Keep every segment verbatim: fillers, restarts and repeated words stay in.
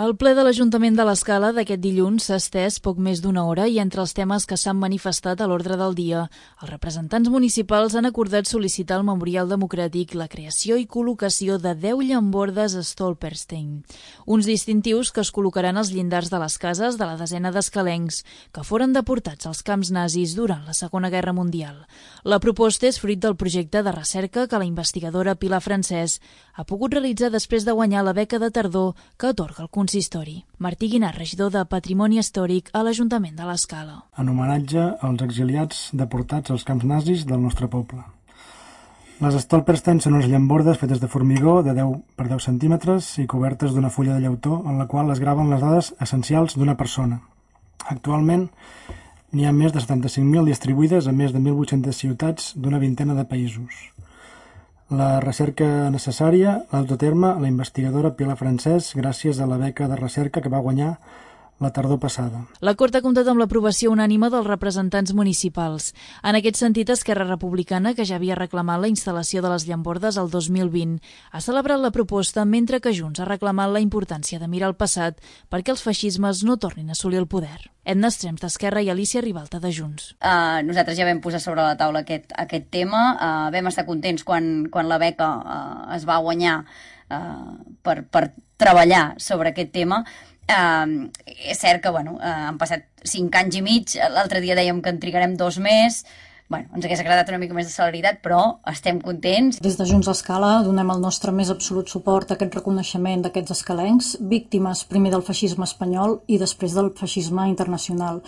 El ple de l'Ajuntament de l'Escala d'aquest dilluns s'ha estès poc més d'una hora i entre els temes que s'han manifestat a l'ordre del dia, els representants municipals han acordat sol·licitar al Memorial Democràtic la creació i col·locació de deu llambordes Stolperstein, uns distintius que es col·locaran als llindars de les cases de la desena d'escalencs que foren deportats als camps nazis durant la Segona Guerra Mundial. La proposta és fruit del projecte de recerca que la investigadora Pilar Francès ha pogut realitzar després de guanyar la beca de tardor que atorga el consistori. Martí Guinart, regidor de Patrimoni Històric a l'Ajuntament de l'Escala. En homenatge als exiliats deportats als camps nazis del nostre poble. Les Stolperstein són unes llambordes fetes de formigó de deu per deu centímetres i cobertes d'una fulla de llautó en la qual es graven les dades essencials d'una persona. Actualment n'hi ha més de setanta-cinc mil distribuïdes a més de mil vuit-centes ciutats d'una vintena de països. La recerca necessària l'ha dut a terme la investigadora Pilar Francès gràcies a la beca de recerca que va guanyar la tardor passada. L'acord ha comptat amb l'aprovació unànime dels representants municipals. En aquest sentit, Esquerra Republicana, que ja havia reclamat la instal·lació de les llambordes el dos mil vint, ha celebrat la proposta, mentre que Junts ha reclamat la importància de mirar al passat perquè els feixismes no tornin a assolir el poder. Edna Estrems, d'Esquerra, i Alicia Ribalta, de Junts. Uh, nosaltres ja vam posar sobre la taula aquest, aquest tema. Uh, vam estar contents quan, quan la beca uh, es va guanyar uh, per, per treballar sobre aquest tema. Uh, és cert que bueno, uh, han passat cinc anys i mig, l'altre dia dèiem que en trigarem dos més. Bueno, ens hagués agradat una mica més de celeritat, però estem contents. Des de Junts Escala donem el nostre més absolut suport a aquest reconeixement d'aquests escalencs, víctimes primer del feixisme espanyol i després del feixisme internacional.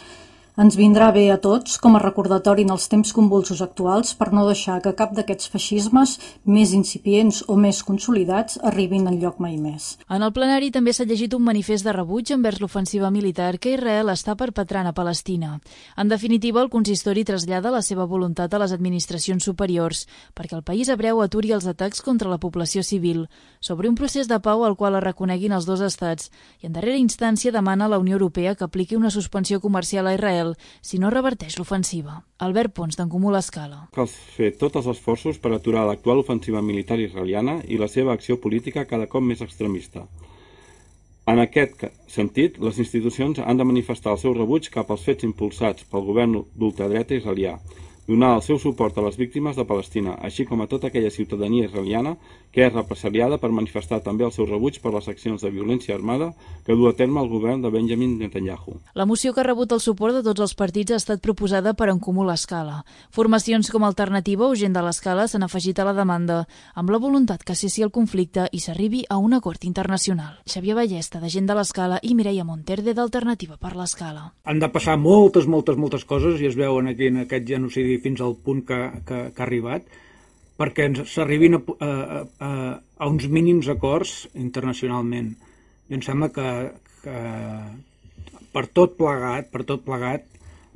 Ens vindrà bé a tots com a recordatori en els temps convulsos actuals per no deixar que cap d'aquests feixismes més incipients o més consolidats arribin enlloc mai més. En el plenari també s'ha llegit un manifest de rebuig envers l'ofensiva militar que Israel està perpetrant a Palestina. En definitiva, el consistori trasllada la seva voluntat a les administracions superiors perquè el país hebreu aturi els atacs contra la població civil, sobre un procés de pau al qual es reconeguin els dos estats i en darrera instància demana a la Unió Europea que apliqui una suspensió comercial a Israel si no reverteix l'ofensiva. Albert Pons, d'en Comú l'Escala. Cal fer tots els esforços per aturar l'actual ofensiva militar israeliana i la seva acció política cada cop més extremista. En aquest sentit, les institucions han de manifestar el seu rebuig cap als fets impulsats pel govern d'ultradreta israelià, donar el seu suport a les víctimes de Palestina, així com a tota aquella ciutadania israeliana que és represaliada per manifestar també el seu rebuig per les accions de violència armada que du a terme el govern de Benjamin Netanyahu. La moció que ha rebut el suport de tots els partits ha estat proposada per En Comú l'Escala. Formacions com Alternativa o Gent de l'Escala s'han afegit a la demanda, amb la voluntat que cessi el conflicte i s'arribi a un acord internacional. Xavier Ballesta, de Gent de l'Escala, i Mireia Monterde, d'Alternativa per l'Escala. Han de passar moltes, moltes, moltes coses i es veuen aquí en aquest genocidi fins al punt que, que, que ha arribat, perquè s'arribin a, a, a, a uns mínims acords internacionalment. I em sembla que, que per tot plegat, per tot plegat,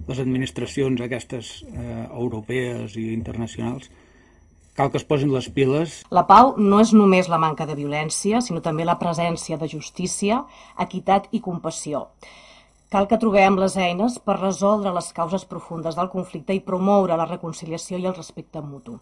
les administracions aquestes eh, europees i internacionals cal que es posin les piles. La pau no és només la manca de violència, sinó també la presència de justícia, equitat i compassió. Cal que trobem les eines per resoldre les causes profundes del conflicte i promoure la reconciliació i el respecte mutu.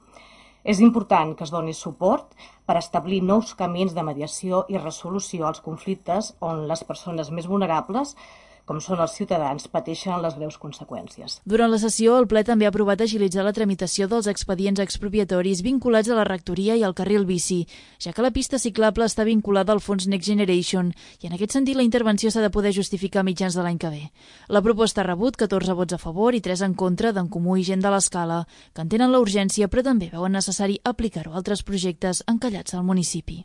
És important que es doni suport per establir nous camins de mediació i resolució als conflictes on les persones més vulnerables, com són els ciutadans, pateixen les greus conseqüències. Durant la sessió, el ple també ha aprovat agilitzar la tramitació dels expedients expropiatoris vinculats a la rectoria i al carril bici, ja que la pista ciclable està vinculada al fons Next Generation i en aquest sentit la intervenció s'ha de poder justificar a mitjans de l'any que ve. La proposta ha rebut catorze vots a favor i tres en contra d'en Comú i Gent de l'Escala, que entenen la urgència però també veuen necessari aplicar-ho a altres projectes encallats al municipi.